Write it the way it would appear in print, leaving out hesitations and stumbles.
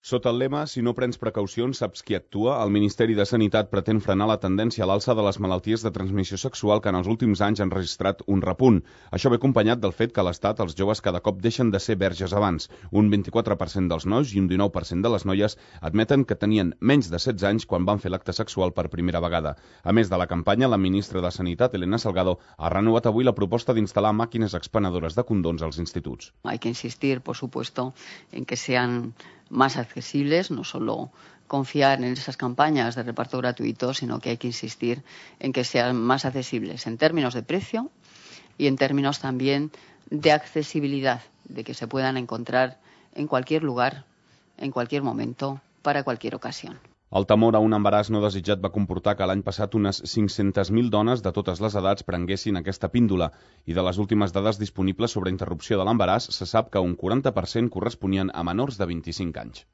Sota el lema "Si no prens precaucions, saps qui actua", el Ministeri de Sanitat pretén frenar la tendència a l'alça de les malalties de transmissió sexual que en els últims anys han registrat un repunt. Això ve acompanyat del fet que a l'Estat els joves cada cop deixen de ser verges abans. Un 24% dels nois i un 19% de les noies admeten que tenien menys de 16 anys quan van fer l'acte sexual per primera vegada. A més de la campanya, la ministra de Sanitat, Elena Salgado, ha renovat avui la proposta d'instal·lar màquines expenedores de condons als instituts. Hay que insistir, por supuesto, en que sean más accesibles, no solo confiar en esas campañas de reparto gratuito, sino que hay que insistir en que sean más accesibles en términos de precio y en términos también de accesibilidad, de que se puedan encontrar en cualquier lugar, en cualquier momento, para cualquier ocasión. El temor a un embaràs no desitjat va comportar que l'any passat unes 500.000 dones de totes les edats prenguessin aquesta píndola, i de les últimes dades disponibles sobre interrupció de l'embaràs se sap que un 40% corresponien a menors de 25 anys.